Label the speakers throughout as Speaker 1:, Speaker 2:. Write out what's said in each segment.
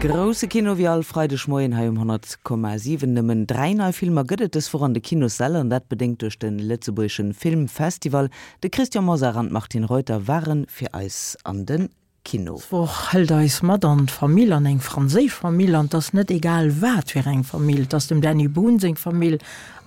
Speaker 1: Grousse Kino wéi all Freideg Moien hei um 100,7. Nëmmen 3 nei Filmer gëtt et dës Woch an de Kinossäll an dat bedéngt duerch de lëtzebuergeschen Filmfestival. De Christian Mosar an d'Martine Reuter ware fir eis an de Kino.
Speaker 2: Dës Woch hëlt eis mat an d'Famill, an eng franséisch Famill. An 't ass net egal wat fir eng Famill, 't ass dem Dany Boon seng Famill.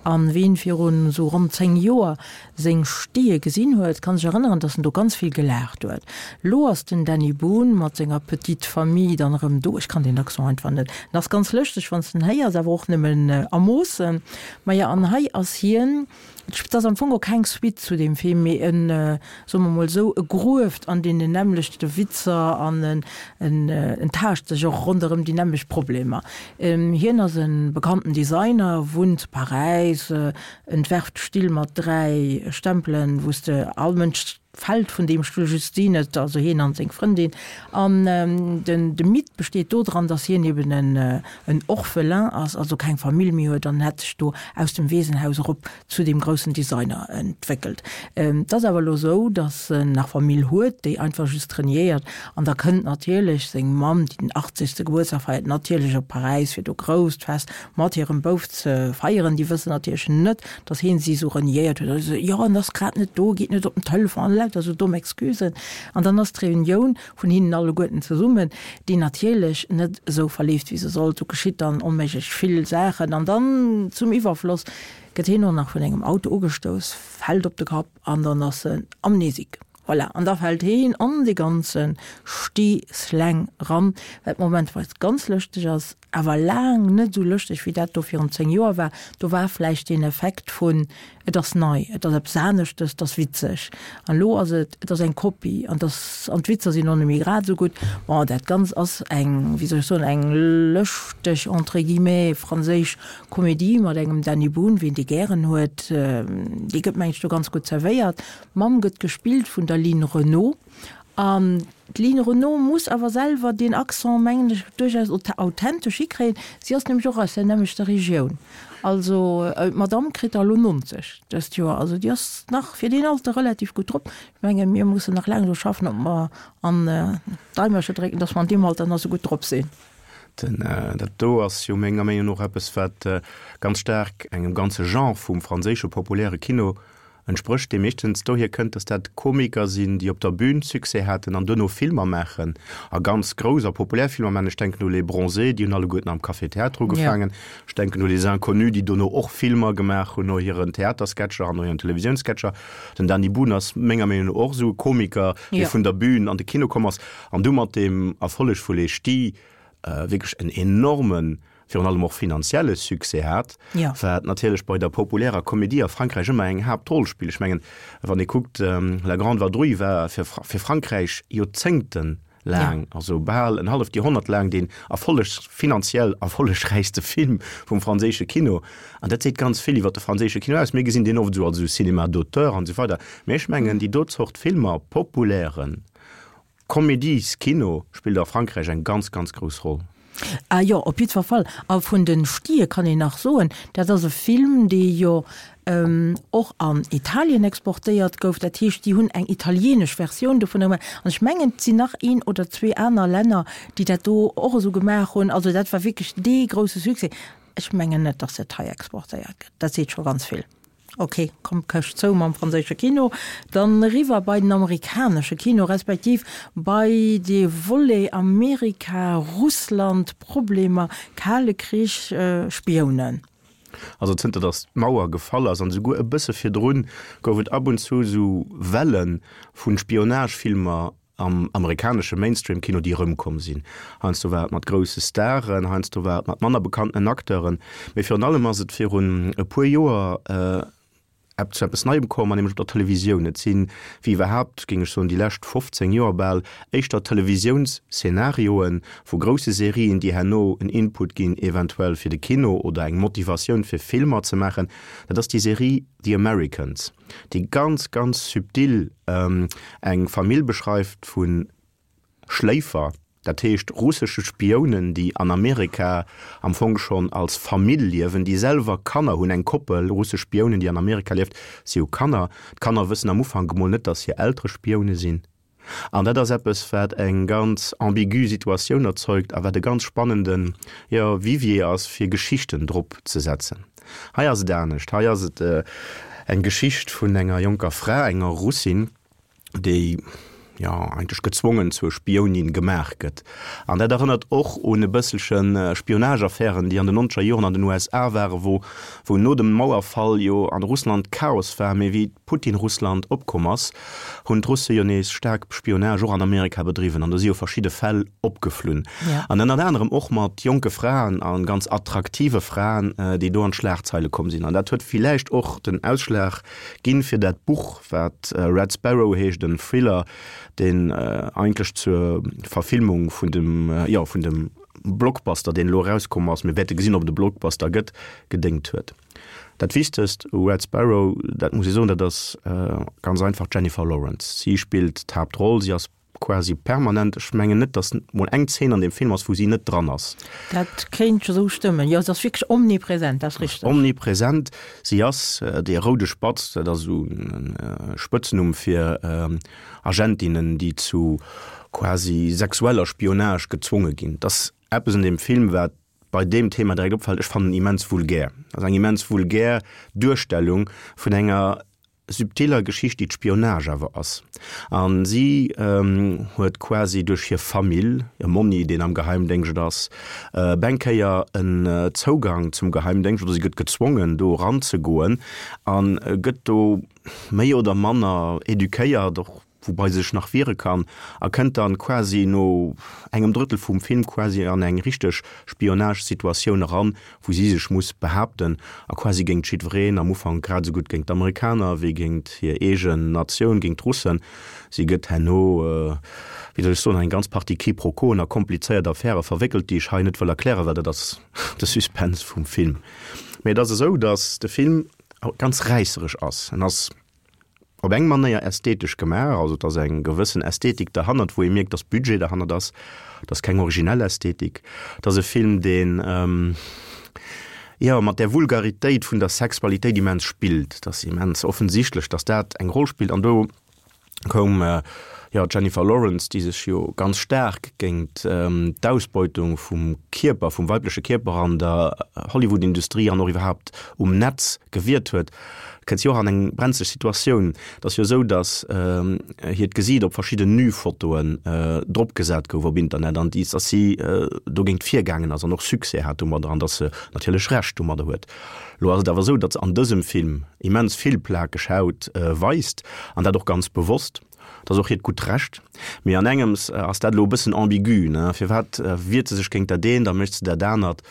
Speaker 2: An ween virun esou ronn 10 Joer seng Ch'tië gesinn huet, kann sech erënneren, dass en do ganz vill gelaacht huet. Lo ass den Dany Boon mat senger petite famille dann erëm do. Ech kann deen Accent einfach net. En ass ganz lëschteg wann s de en héiers, awer och nëmmen a Moossen. Maja, an hei ass hien. Et ass am Fong och keng Suite zu deem Film, mee en, soe mer mol esou, e grueft an deenen nämmlechte Witzer an en, en taascht sech och ronderëm déi nämmlecht Problemer. Hien ass e bekannten Designer, wunnt zu Paräis, entwerft Still mat 3 Stempelen, wou s de all Mënsch fält vun deem Stull, just si net, also hien an seng Frëndin. An den de Mythe besteet do dran, datt hien eben en en Orphelin ass, also keng Famill méi huet an hätt sech do aus dem Weesenhaus erop zu deem groussen Designer entwéckelt. Et ass awer elo esou, datt en nach Famill huet, déi einfach just reniéiert. An da kënnt natierlech seng Mamm, déi den achtzegste Gebuertsdag feiert, natierlech op Paräis, fir do grousst Fest mat hirem Bouf ze feieren. Déi wëssen natierlech net, datt hien si esou reniéiert huet. Also, jo, en ass grad net do, geet net op den Telefon an lauter esou domm Excusen. An dann ass d'Reunioun vun hinnen alleguerten zesummen, déi natierlech net esou verleeft, wéi se sollt. Do geschitt dann onméiglech vill Saachen. An dann zum Iwwerfloss gëtt hien och nach vun engem Auto ugestouss, fält op de Kapp an dann ass en amnésique. Voilà, an da fält heen an dee ganze Sti-Slang ran, wat momentweis ganz lëschteg ass, awer laang net esou lëschteg wéi dat do virun 10 Joer war. Do war vläicht deen Effekt vun, et ass nei, et ass eppes aneschtes, et ass witzeg. An elo ass et, et ass eng Kopie an et ass, an d'Witzer sinn och net méi grad esou gutt. Bon, dat Ganzt ass eng, wéi soll ech soen, eng lëschteg, entre guillemets, franséisch Komedie mat engem Dany Boon, wien dee gären huet, dee gëtt, meng ech, do ganz gutt zerwéiert. D'Mamm gëtt gespillt vun der Line Renaud. An d'Line Renaud muss awer selwer deen Accent, mengen ech, duerchaus authentesch hikréien. Si ass nämlech och aus der nämmlechter Regioun. Also d'Madamm kritt der elo 90 dëst Joer. Also déi ass nach fir deen Alter relativ gutt drop. Ech mengen, mir mussen nach laang dru schaffen, ob mer an d'Eimerche drécken, dass mer an deem Alter nach esou gutt drop sinn.
Speaker 3: Den, dat do ass jo menger Meenung no och eppes, wat ganz staark engem ganze Genre vum franséische populäre Kino Entsprécht, dee meeschtens dohier kënnt, datt dat Komiker sinn, déi op der Bühn Succès haten an duerno Filmer maachen, a ganz grouss a populär Filmer maachen. Ech denken u Les Bronzés, déi hunn alleguerten am Café Théâtre ugefaangen. Ech denken u Les Inconnus, déi dono och Filmer gemaach hunn no hiren Theatersketcher an no hiren Televisiounssketcher. Den Dany Boon ass menger Meenung no och esou e Komiker, dee vun der Bühn an de Kino komm ass an du mat deem Erfolleg vu Les Ch'tis wierklech en enormen virun allem och finanzielle Succès hat, wat natierlech bei der populärer Komedie a Frankräich ëmmer eng Haaptroll spillt. Ech mengen, wann ee kuckt, La Grande Vadrouille war fir fir Frankräich joerzéngtelaang, also bal en halleft Joerhonnert laang, deen erfolleg finanziell erfollegräichste Film vum franséische Kino. An dat seet ganz vill iwwer de franséische Kino aus. Mir gesinn deen oft esou als esou Cinéma d'auteur an esou weider, mä ech mengen, déi do Zort Filmer, populären, Comédies-Kino spillt a Frankräich eng ganz, ganz grouss Roll.
Speaker 2: Ah jo, op jiddwer Fall. A vun den Ch'tië kann een nach soen, dat ass e Film, dee jo och an Italien exportéiert gouf. Dat heescht, déi hunn eng italienesch Versioun dovunner gemaach. An ech mengen, et sinn nach een oder zwee aner Länner, déi dat do och esou gemaach hunn. Also dat war wierklech dee grousse Succès. Ech mengen net, datt dat hei exportéiert gëtt. Dat seet scho ganz vill. Ok, komm Këscht zou mam franséische Kino, dann eriwwer bei den amerikanesche Kino, respektiv bei de Volet Amerika, Russland, Problemer, Kale Krich, Spiounen.
Speaker 3: Also zënter datt d'Mauer gefall ass, an esouguer e bësse virdrun, gouf et ab und zu esou Welle vu Spionagefilmer am amerikanesche Mainstream-Kino, déi erëmkomm sinn. Heiansdo war et mat grousse Staren, heiansdo war et mat manner bekannten Acteuren, mee virun allem ass et virun e puer Joer zu eppes Neiem komm, an nämlech op der Televisioun. Et sinn, wéi iwwerhaapt, géing ech soen, déi lescht 15 Joer bal, éischter Televisiounsszenarioe vu grousse Serien, déi herno en Input ginn, eventuell fir de Kino oder eng Motivatioun fir Filmer ze maachen. Dat ass déi Serie The Americans. déi ganz, ganz subtil eng Famill beschreift vu Schléifer, dat heescht russesche Spiounen, déi an Amerika am Fong schonn als Famill liewen, déi selwer Kanner hunn, eng Koppel russesch Spiounen, déi an Amerika lieft, si hu Kanner. D'Kanner wëssen am Ufank emol net, datt hir Eltere Spioune sinn. An dat ass eppes, wat eng ganz ambigu Situatioun erzeugt a wat e ganz spannenden, jo, Vivier ass, fir Geschichten drop ze setzen. Hei ass et anescht. Hei ass et eng Geschicht vun enger jonker Fra, enger Russin, déi jo eigentlech gezwongen zur Spiounin gemaach gëtt. An dat erënnert och un e bësselche Spionageaffären, déi an den nonzeger Joren an den USA waren, wou wou no dem Mauerfall jo an Russland Chaos war, mee wéi Putin-Russland opkomm ass, hunn d'Russe jo nees staark Spionage och an Amerika bedriwwen an do si jo verschidde Fäll opgeflunn. An ënnert anerem och mat jonke Fraen a ganz attraktive Fraen, déi do an d'Schlagzeile komm sinn. An dat huet villäicht och den Ausschlag ginn fir dat Buch, wat Red Sparrow heescht, en Thriller, deen eigentlech zur Verfilmung vun dem, jo, vun dem Blockbuster, deen elo erauskomm ass, mir wäerte gesinn, ob et e Blockbuster gëtt, gedéngt huet. Dat Wichtegst u Red Sparrow, dat muss ee soen, dat ass ganz einfach d'Jennifer Lawrence. Si spillt d'Haaptroll, si ass quasi permanent, ech mengen net, datt mol eng Zeen an deem Film ass, wou si net dran ass.
Speaker 2: Dat kéint esou stëmmen, jo, se ass wierklech omnipresent, dat ass richteg.
Speaker 3: Omnipresent, si ass dee roude Spatz, dat ass esou e Spëtznumm fir Agentinnen, déi zu quasi sexueller Spionage gezwonge ginn. Et ass eppes un deem Film, wat bei deem Thema direkt opfält, ech fannen en immens vulgär. Et ass eng immens vulgär Duerstellung vun enger subtiller Geschicht, déi d'Spionage awer ass. A si huet quasi duerch hir Famill, hir Monni, deen am Geheimdéngscht ass, op eng Kéier en Zougang zum Geheimdéngscht, oder si gëtt gezwongen, do eranzegoen a gëtt do méi oder manner eduquéiert, och woubai se sech nach wiere kann, a kënnt dann quasi no engem Drëttel vum Film quasi an eng richteg Spionage-Situatioun eran, wou si sech muss behaapten a quasi géint jiddwereen, am Ufank grad esou gutt géint d'Amerikaner wéi géint hir eegen Natioun, géint d'Russen. Si gëtt herno, wéi soll ech soen, an eng ganz Partie Quiproquoen a komplizéiert Affäre verwéckelt, déi ech hei net wëll erklären, well dat ass de Suspense vum Film. Mee et ass esou, datt de Film ganz räisseresch ass. En ass op eng Manéier ästhetesch gemaach, also et ass eng gewëssen Ästhetik derhannert, wou ee mierkt, dass Budget derhannert ass, et ass keng originell Ästhetik, et ass e Film, deen, jo, mat där Vulgaritéit vun der Sexualitéit immens spillt, et ass immens offensichtlech, dass dat eng Roll spillt an do koum, jo, d'Jennifer Lawrence, déi sech jo ganz staark géint d'Ausbeutung vum Kierper, vum weibleche Kierper an der Hollywood-Industrie an och iwwerhaapt um Netz gewiert huet, kënnt si och an eng brenzleg Situatioun. Et ass jo esou, datt hiert Gesiit op verschidden Nu-Fotoen dropgesat gouf op Internet an datt si dogéint virgaangen ass an och Succès hat domadder an datt se natierlech Recht domadder huet. Elo ass et awer esou, datt se an dësem Film immens vill plakeg Haut weist an dat och ganz bewosst. Dat ass och hiert gutt Recht. Mee an engems ass dat elo e bëssen ambigu, ne? Firwat wiert se sech géint dat eent a mécht se dat anert?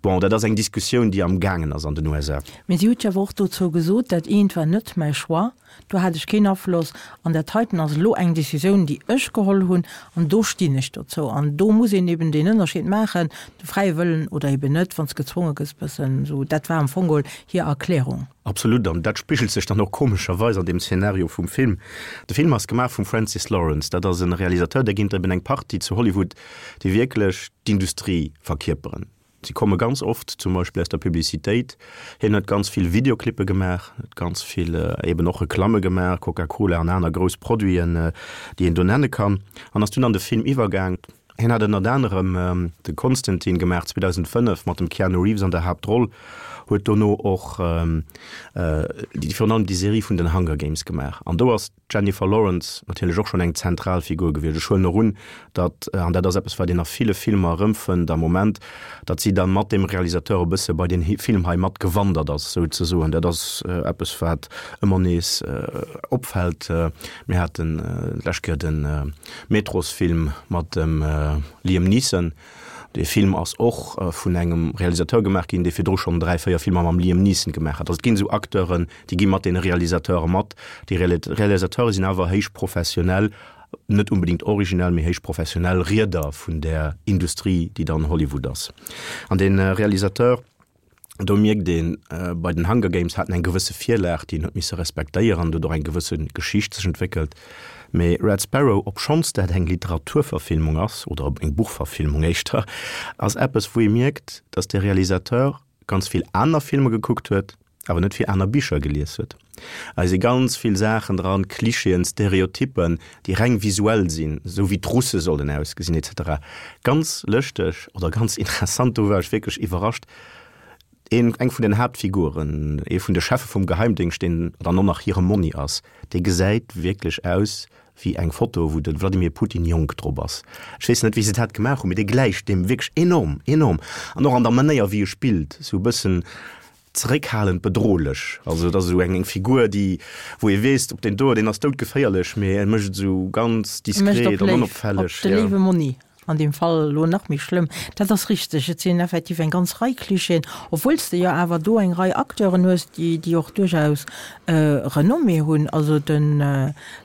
Speaker 3: Bon, dat ass eng Diskussioun, déi am gaangen ass an den USA.
Speaker 2: Mee si huet jo awer och dozou gesot, dat eent war net mäi Choix, do hat ech keen Afloss, an dat heiten ass elo eng Decisioun, déi ech geholl hunn, an do stinn ech dozou. An do muss een eben deen Ënnerscheed maachen, de fräie Wëllen oder eben net, wann s gezwonge gëss, bëssen esou. Dat war am Fong geholl hir Erklärung.
Speaker 3: Absolut, an dat spigelt sech dann och komescherweis an dem Szenario vum Film. De Film ass gemaach vum Francis Lawrence, dat ass en Realisateur, där ginn et eben eng Partie zu Hollywood, déi wierklech d'Industrie verkierperen. Si komme ganz oft zum Beispill aus der Publicitéit. Hien huet ganz vill Videoclippe gemaach, huet ganz vill eben och Reklamme gemaach, Coca-Cola an aner grouss Produiten, déi een do nenne kann, an ass dunn an de Film iwwergaang. Hien hat ënnert anerem de Constantine gemaach 2005 mat dem Keanu Reeves an der Haaptroll, huet dono och déi virun allem déi Serie vun den Hunger Games gemaach an do ass d'Jennifer Lawrence natierlech och schonn eng zentral Figur gewiescht. Ech huelen och un, datt, an dat ass eppes wat een a ville Filmer erëmfënnt am Moment, datt si da mat dem Realisateur e bësse bei deen Film hei mat gewandert ass souzesoen. Dat ass eppes wat ëmmer nees opfält. Mir haten d'lescht Kéier de Metrosfilm mat dem Liam Neeson. Dee Film ass och vun engem Realisateur gemaach ginn, dee virdru schonn 3, 4 Filmer mam Liam Neeson gemaach hat. Also et ginn esou Acteuren, déi gi mat deene Realisateure mat. Déi Realisateure sinn awer héich professionell, net unbedéngt originell, mee héich professionell Rieder vun där Industrie, déi dann Hollywood ass. An dee Realisateur, Do mierkt een, bei den Hunger Games hat en eng gewësse Virlag, déi en huet misse respektéieren, do huet och eng gewësse Geschicht sech entwéckelt. Mee Red Sparrow, obschonns dat eng Literaturverfilmung ass, oder eng Buchverfilmung éischter, ass eppes, wou ee mierkt, datt de Realisateur ganz vill aner Filmer gekuckt huet. awer net vill aner Bicher gelies huet. Hei si ganz vill Saachen dran, Klischeeën, Stereotyppen, déi reng visuell sinn, esou wéi d'Russe sollen ausgesinn etc. Ganz lëschteg oder ganz interessant, do war ech wierklech iwwerrascht, een, eng vun den Haaptfiguren, ee vun de Cheffe vum Geheimdéngscht, deen dann och nach hire Monni ass, dee gesäit wierklech aus wéi eng Foto, wou de Vladimir Putin jonk drop ass. Ech weess net, wéi se dat gemaach hunn, mee dee gläicht deem wierklech enorm, enorm. An och an der Manéier, wéi e spillt, esou e bëssen zeréckhalend bedrohlech. Also et ass esou eng Figur, déi, wou ee weess, op deen do, deen ass doudgeféierlech, mee e mécht et esou ganz diskret an onopfälleg.
Speaker 2: Op de léiwe Monni. An deem Fall elo nach méi schlëmm. Dat ass richteg, et sinn effektiv eng ganz Rei Klischeeën, obwuel s de jo awer do eng Rei Acteuren hues, déi, déi och duerchaus Renommée hunn. Also de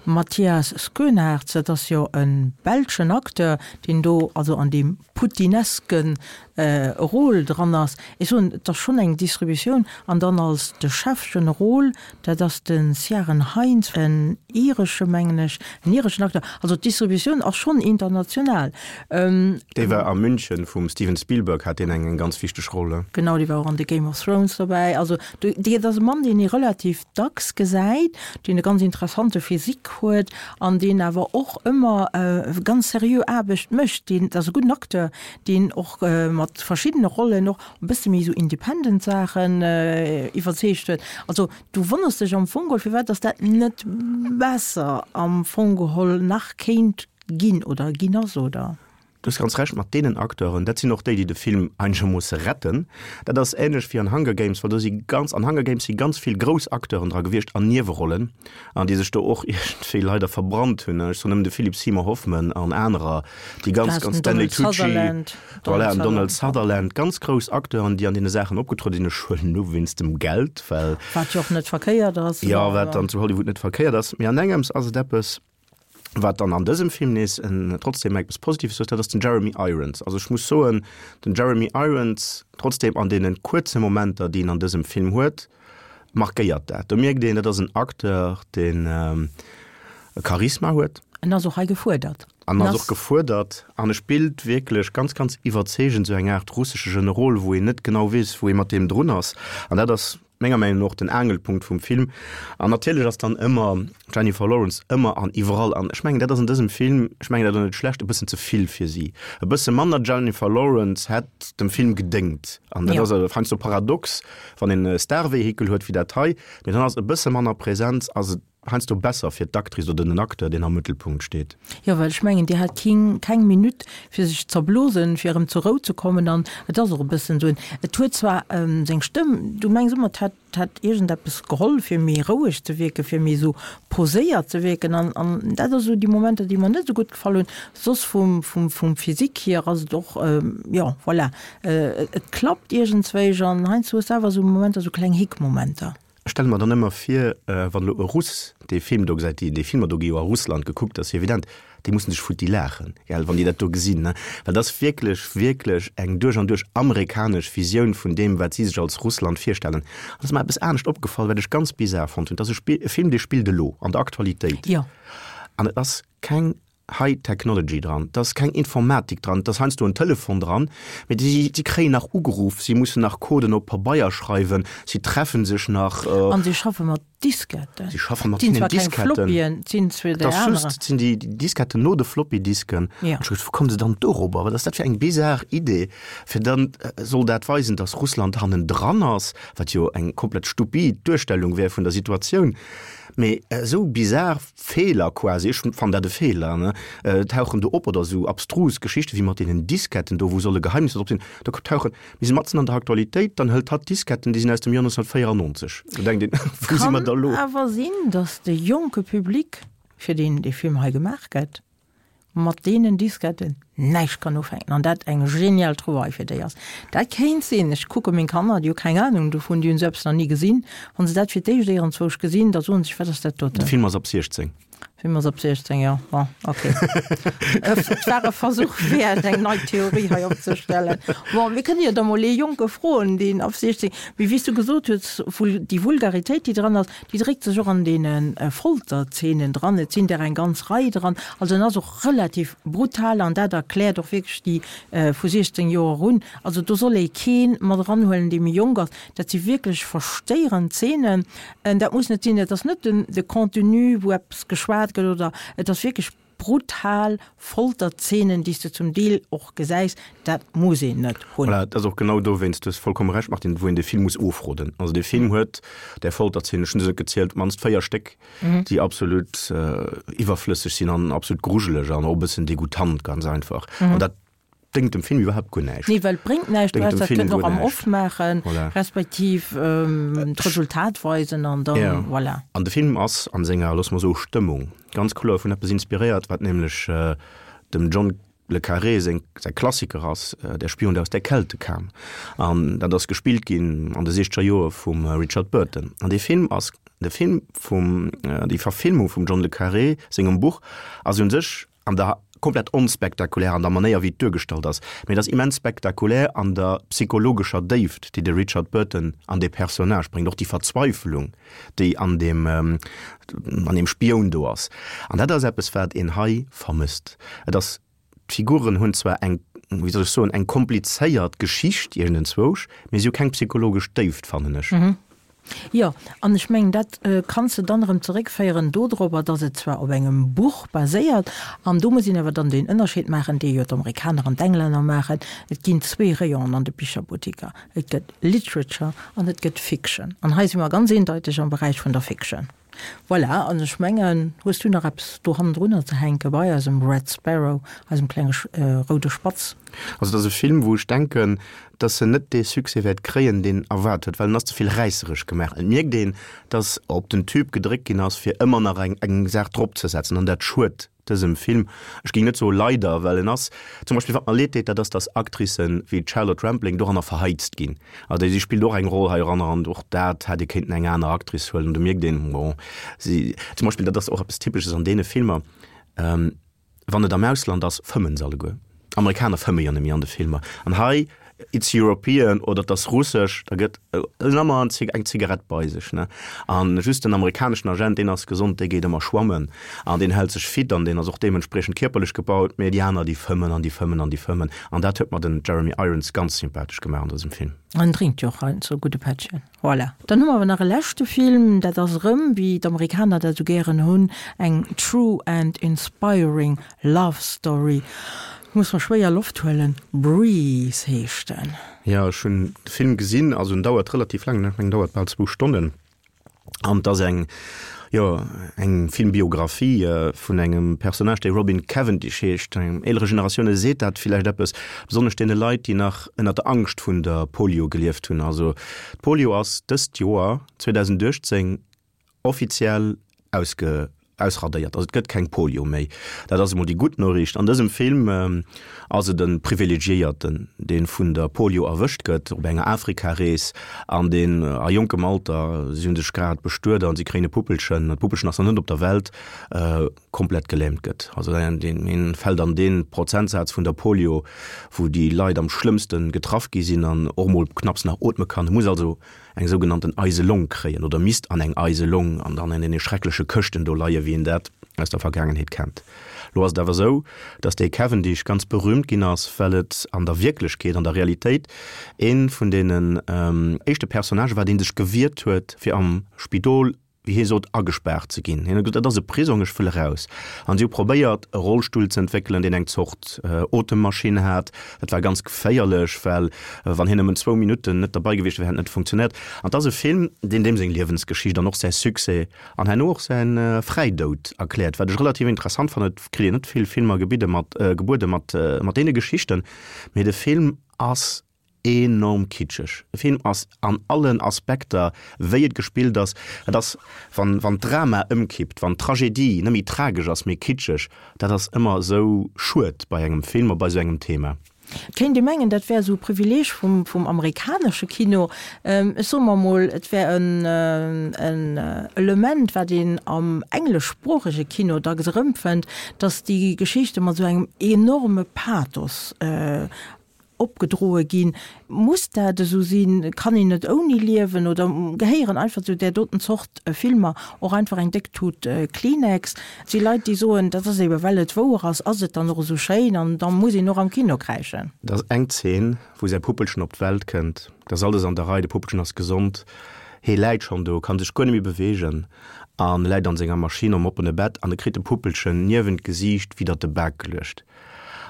Speaker 2: Matthias Schoenaerts, dat ass jo e belschen Acteur, deen do also an deem putineske Rôle dran ass. Ech soen, et ass schonn eng Distributioun. An dann als de Chef Generol, dat ass de Ciaran Hinds, en iresche, mengen ech, en ireschen Acteur. Also d'Distributioun ass schonn international.
Speaker 3: Dee war a München vum Steven Spielberg, hat deen eng eng ganz wichteg Roll.
Speaker 2: Genau, dee war och an The Game of Thrones dobäi. Also dat ass e Mann, deen ee relativ dacks gesäit, deen e ganz interessante Physique huet an deen awer och ëmmer ganz seriö Aarbecht mécht. Deen ass e gudden Acteur, deen och mat verschiddene Rollen och e bësse méi esou independent Saachen iwwerzeegt huet. Also du wonners dech am Fong geholl, firwat datt dat net besser am Fong geholl nach kéint ginn oder ginn ass, oder?
Speaker 3: Du hues ganz Recht mat deenen Acteuren. Dat sinn och déi, déi de Film einegermoosse retten. Dat ass änlech wéi an Hunger Games, well do si ganz, an Hunger Games si ganz vill grouss Acteuren dra gewiescht an Niewerollen, an déi sech do och iergendwéi leider verbrannt hunn. Ech soen nëmmen de Philip Seymour Hoffman an anerer, déi ganz, ganz, Stanley Tucci, voilà, an Donald Sutherland, ganz grouss Acteuren, déi an deene Saachen opgetruede sinn. Ech huelen u wéinst dem Geld, well.
Speaker 2: Wat jo och net verkéiert ass.
Speaker 3: Jo, wat dann zu Hollywood net verkéiert ass. Mee an engems ass et eppes, wat dann an dësem Film nees en trotzdem eppes Positives huet, dat ass den Jeremy Irons. Also ech muss soen, den Jeremy Irons, trotzdem an deene kuerze Momenter, déi en an dësem Film huet, markéiert dat. Do mierkt een, dat ass en Acteur, deen e Charisma huet.
Speaker 2: En ass och hei gefuerdert.
Speaker 3: En ass och gefuerdert an e spillt wierklech ganz, ganz iwwerzeegend esou eng Aart russesche Generol, wou een net genau weess, wou ee mat deem drun ass. An dat ass menger Meinung no och den Aangelpunkt vum Film. An natierlech ass dann ëmmer d'Jennifer Lawrence ëmmer an iwwerall. An ech mengen, dat ass an dësem Film, ech mengen dat och net schlecht, e bëssen ze vill fir si. E bësse manner Jennifer Lawrence hätt dem Film gedéngt. An dat ass heiansdo paradox, wann een e Star-Vehikel huet wéi dat hei, mee dann ass e bësse manner Präsenz, ass et heiansdo besser fir d'Actrice oder den Acteur, deen am Mëttelpunkt steet.
Speaker 2: Jo, well ech mengen, déi hat keen, keng Minutt, fir sech z'erblosen, fir erëm zur Rou ze kommen. An et ass och e bëssen esou en, et huet zwar seng Stëmm, du mengs ëmmer, et hätt, hätt iergendeppes geholl, fir méi roueg ze wierken, fir méi esou poséiert ze wierken. An, an dat ass esou déi Momenter, déi mer net esou gutt gefall hunn. Soss vum, vum, vum Physique hier ass et och, jo, voilà, et klappt iergendzwéich. An heiansdo hues de awer esou Momenter, esou kleng Hick-Momenter.
Speaker 3: Ech stelle mer dann ëmmer vir, wann elo e Russ dee Film do gesäit, déi Filmer do gi jo a Russland gekuckt, dat ass jo evident, déi mussen sech futti laachen, gell, wann déi dat do gesinn, ne? Well dat ass wierklech, wierklech eng duerch an duerch amerikanesch Visioun vun deem, wat si sech als Russland virstellen. An et ass mer eppes anescht opgefall, wat ech ganz bizar fonnt hunn, Et ass e Spill, e Film, dee spillt elo, an der Aktualitéit.
Speaker 2: Jo.
Speaker 3: An et ass keng High Technology dran, et ass keng Informatik dran, et ass heiansdo en Telefon dran, mee si si kréien nach ugeruff, si mussen nach Coden op Pabeier schreiwen, si treffen sech nach.
Speaker 2: An si schaffe mat Disketten.
Speaker 3: Si schaffe mat hinnen Disketten. Et sinn zwar keng Floppyen, et sinn zwar déi aner. Et ass just, et sinn déi Disketten no de Floppy-Disken.
Speaker 2: Ja.
Speaker 3: An ech hu geduecht, wou komme se dann dorobber? Wat ass dat fir eng bizar Idee, fir dann soll dat weisen, datt Russland hannendran ass, wat jo eng komplett stupid Duerstellung wär vun der Situatioun. Mee esou bizar Feeler quasi, ech fannen dat e Feeler, ne, tauchen do op oder esou abstrus Geschichten wéi mat deenen Disketten do, wou solle Geheimnisser drop sinn, do tauchen, mir si matzen an der Aktualitéit, dann hëlt hatt Disketten, déi sinn aus dem Joer 1994, do denkt een, wou si mer da lo?
Speaker 2: Kann awer sinn, datt de jonke Public, fir deen dee Film hei gemaach gëtt, mat deenen Disketten näischt kann ufänken an dat eng genial Trouvaille fir déi ass. Dat kéint sinn. Ech kucke meng Kanner, déi hu keng Anung dovun, déi hunn esou eppes nach ni gesinn. Wa se dat fir d'éischt éierenzwousch gesinn, da soen se sech, Wat ass dat
Speaker 3: doten? De Film ass ab 16.
Speaker 2: Film ass ab 16, jo. Bon, ok. Et war e Versuch wäert, eng nei Theorie hei opzestellen. Bon, mir kënne jo da mol ee Jonke froen, deen ab 16, mee wéi s du gesot hues, déi Vulgaritéit, déi dran ass, déi dréckt sech och an deene Folterzeenen dran. Et sinn der eng ganz Rei dran. Also en ass och relativ brutal an dat erkläert och wierklech déi vu 16 Joer un. Also do soll ee kee mat eranhuelen, dee méi jonk ass. Dat si wierklech verstéierend Zeenen. Dat muss net sinn, et ass net den de Contenu, wou eppes geschwat gëtt oder et ass wierklech brutal Folterzeenen, déi s de zum Deel och gesäis. Dat muss een net hunn.
Speaker 3: Voilà, et ass och genau dowéinst, du hues vollkomme Recht, Martine, wou een de Film muss ofroden. Also dee Film huet där Folterzeenen, ech hunn se net gezielt, op d'mannst 4 Stéck, déi absolut iwwerflësseg sinn an absolut grujeleg an och e bëssen degoutant, ganz einfach. An dat déngt dem Film iwwerhaapt guer näischt.
Speaker 2: Nee, well et bréngt näischt, du häss dat kënnen och am Off maachen, respektiv d'Resultat weisen an dann, voilà.
Speaker 3: An de Film ass an senger, loosse mer soe Stëmmung, ganz kloer vun eppes inspiréiert, wat nämlech dem John le Carré seng, säi Klassiker ass, Der Spion, der aus der Kälte kam. An dat ass gespillt ginn an de siechzeger Joer vum Richard Burton. An dee Film ass, de Film vum, déi Verfilmung vum John le Carré sengem Buch ass un sech an der komplett onspektakulär an der Manéier wéi et duergestallt ass, mee et ass immens spektakulär an der psychologescher Déift, déi de Richard Burton an dee Personnage bréngt, och déi Verzweifelung, déi an deem an deem Spioun do ass. An dat ass eppes, wat een hei vermësst. Et ass, d'Figuren hunn zwar eng, wéi soll ech soen, eng komplizéiert Geschicht iergendenzwousch, mee si hu keng psychologesch Déift, fannen ech.
Speaker 2: Jo, an ech mengen, dat kanns de dann erëm zeréckféieren dodropper, datt et zwar op engem Buch baséiert, an do muss een awer dann deen Ënnerscheed maachen, dee jo d'Amerikaner an d'Englänner maachen, Et ginn zwee Rayonen an de Bicherbuttiker, et gëtt Literature an et gëtt Fiction. An hei si mer ganz eendeiteg am Beräich vun der Fiction. Voilà, an ech mengen, hues du nach eppes do hannendrunner ze hänke bei eisem Red Sparrow, eisem klenge roude Spatz?
Speaker 3: Also et ass e Film, wou ech denken, dass en net dee Succès wäert kréien, deen erwaart huet, well en ass ze vill räisseresch gemaach. Et mierkt een, dass op den Tube gedréckt ginn ass, fir ëmmer nach eng eng Saach dropzesetzen, an dat schued dësem Film. Ech géing net soe leider, well en ass zum Beispill, wat mer leed deet, dat ass, dass Actricen wéi d'Charlotte Rampling doranner verheizt ginn. Also si spillt och eng Roll heiranner an och dat hätt ee kéinten eng aner Actrice huelen. Do mierkt een, bon, si zum Beispill, dat ass och eppes Typesches an deene Filmer, Wann et am Ausland ass, fëmmen se alleguer. Amerikaner fëmme jo net méi an de Filmer. An hei, it's European oder et ass russesch, da gëtt en ëmmer eng Zigarett bei sech, ne. An just den amerikaneschen Agent, deen ass gesond, dee geet ëmmer schwammen an deen hält sech fit an deen ass och deementspriechend kierperlech gebaut. Mee déi aner, déi fëmmen an déi fëmmen an déi fëmmen. An dat huet mer den Jeremy Irons ganz sympathesch gemaach an dësem Film.
Speaker 2: En drénkt jo och heiansdo e gudde Pättchen. Voilà. Dann hu mer awer nach e leschte Film, dat ass erëm, wéi d'Amerikaner dat esou gären hunn, eng true and inspiring love story. Muss mer schwéier Loft huelen. Breathe heescht en.
Speaker 3: Jo, ech hunn de Film gesinn. Also en dauert relativ laang, ech mengen en dauert bal zwou Stonnen. An et ass eng, jo, eng Filmbiographie vun engem Personnage, dee Robin Cavendish heescht. Engem eelere Generatioune seet dat villäicht eppes, besonnesch deene Leit, déi nach ënner der Angscht vun der Polio gelieft hunn. Also d'Polio ass dëst Joer, 2018, offiziell ausge ausradéiert. Also et gëtt keng Polio méi. Dat ass emol déi gutt Noriicht. An dësem Film ass et e Privilegiéierten, dee vun der Polio erwëscht gëtt op enger Afrikarees an deen a jonkem Alter, si hunn sech grad bestuet an si kréien e Puppelchen, d'Puppelchen ass nach net op der Welt, komplett gelähmt gëtt. Also deen fält an dee Prozentsaz vun der Polio, wou déi Leit am schlëmmste getraff gi sinn an och mol knapps nach ootme kann. E muss also eng sougenannten eise Long kréien oder misst an eng eise Long an dann an deene schreckleche Këschten do leie wéi een dat aus der Vergaangenheet kennt. Lo ass et awer esou, datt dee Cavendish ganz berühmt ginn ass, well et an der Wierklechkeet, an der Realitéit ee vun deenen éischte Personnagë war, dee sech gewiert huet fir am Spidol wéi hie sot, agespaart ze ginn. Hien huet gesot, dat ass e Prisong, ech wëll eraus. An si hu probéiert, e Rollstull ze entwéckelen, deen eng Zort Otemmaschinn hat. Dat war ganz geféierlech, well wann hien nëmmen zwou Minutten net derbei gewiescht wär, hätt et net funktionéiert. An et ass e Film, deen deem seng Liewensgeschicht an och säi Succès an herno och säi Fräidoud erkläert, wat ech relativ interessant fannen. Et kritt een net vill Filmer gebidde mat, gebuede mat, mat deene Geschichten, mee de Film ass enorm kitscheg. De Film ass an allen Aspekter, wéi et gespillt ass, et ass, wann, wann d'Drama ëmkippt, wann d'Tragedie net méi tragesch ass, mee kitscheg, dat ass ëmmer esou schued bei engem Film a bei esou engem Thema.
Speaker 2: Et kéint ee mengen, dat wär esou e Privileeg vum, vum amerikanesche Kino. Ech soe mer emol, et wär en, en Element, wat een am engleschsproochege Kino dacks erëmfënnt, datt déi Geschichte mat esou engem enorme Pathos opgedroe ginn. Muss dat esou sinn? Kann een net ouni liewen? Oder gehéieren einfach zu där doten Zort Filmer och einfach eng déck Tut Kleenex? Et si Leit, déi soen, dat ass ebe well et wouer ass, ass et dann och esou schéin an da muss een och am Kino kräischen.
Speaker 3: Et ass eng Zeen, wou säi Puppelchen op d'Welt kënnt, et ass alles an der Rei, de Puppelchen ass gesond, hee läit schonn do, kann sech guer net méi beweegen an e läit an senger Maschinn am oppene Bett an e kritt de Puppelchen niewent d'Gesiicht widdert de Bak geluecht.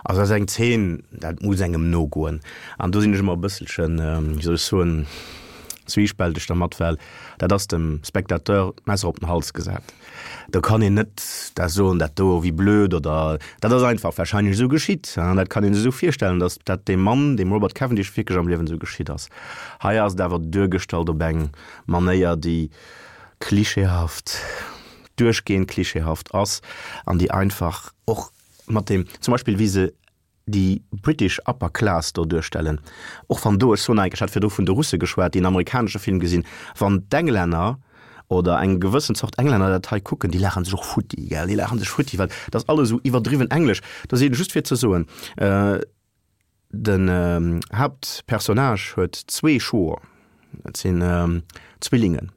Speaker 3: Also dat ass eng Zeen, dat muss engem nogoen. An do sinn ech ëmmer e bësselchen, wéi soll ech soen, zwiispälteg dermat, well dat ass dem Spectateur d'Messer op den Hals gesat. Do kann een net da soen, dat do, wéi blöd oder dat ass einfach wahrscheinlech esou geschitt. Dat kann ee sech esou virstellen, datt dat deem Mann, deem Robert Cavendish, wierklech am Liewen esou geschitt ass. Hei ass et awer duergestallt op eng Manéier, déi klischeehaft, duerchgehend klischeehaft ass an déi einfach och mat deem zum Beispill wéi se déi British Upper Class do duerstellen, och wann do, ech soen eigentlech, ech hat virdru vun de Russe geschwat, déi en amerikanesche Film gesinn, wann d'Englänner oder eng gewëssen Zort Englänner dat hei kucken, déi laache sech och futti, gell, déi laache sech futti, well dat ass alles esou iwwerdriwwen englesch. Da sinn, just fir ze soen, Den Haaptpersonnage huet zwee Schwoer, dat sinn Zwillingen,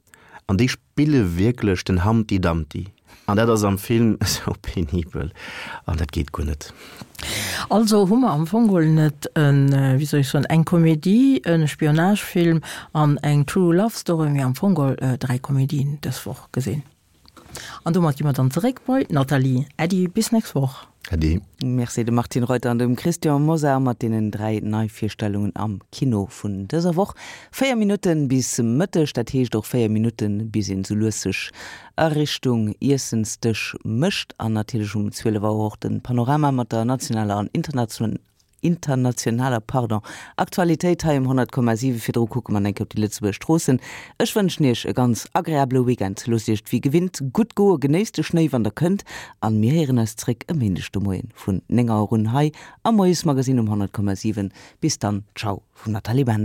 Speaker 3: an déi spille wierklech den Humpty Dumpty, an dat ass am Film esou penibel an dat geet guer net.
Speaker 2: Also hu mer am Fong geholl net en, wéi soll ech soen, eng Komedie, e Spionagefilm an eng True Love Story, mee am Fong geholl 3 Komedien dës Woch gesinn. An domat gi mer dann zeréck bei d'Nathalie. Äddi, bis nächst Woch.
Speaker 3: Äddi.
Speaker 1: Merci dem Martine Reuter an dem Christian Mosar mat deenen 3 Neivirstellungen am Kino vun dëser Woch. 4 Minutten bis Mëtteg, dat heescht och 4 Minutten bis een sou lues sech a Richtung Iessensdësch mécht. An natierlech um 12 Auer och de Panorama mat der nationaler an internationaler internationaler, pardon, Aktualitéit hei um 100,7. Virdru kucke mer enke op déi Lëtzebuerger Stroossen. Ech wënschen Iech e ganz agreabele Weekend. Loosst Iech et wéi gewinnt gutt goen, genéisst de Schnéi wann der kënnt an mir héieren eis zréck e Méindeg de Moien vun 9 Auer un hei am Moiesmagazine um 100,7. Bis dann, ciao vum Nathalie Bender.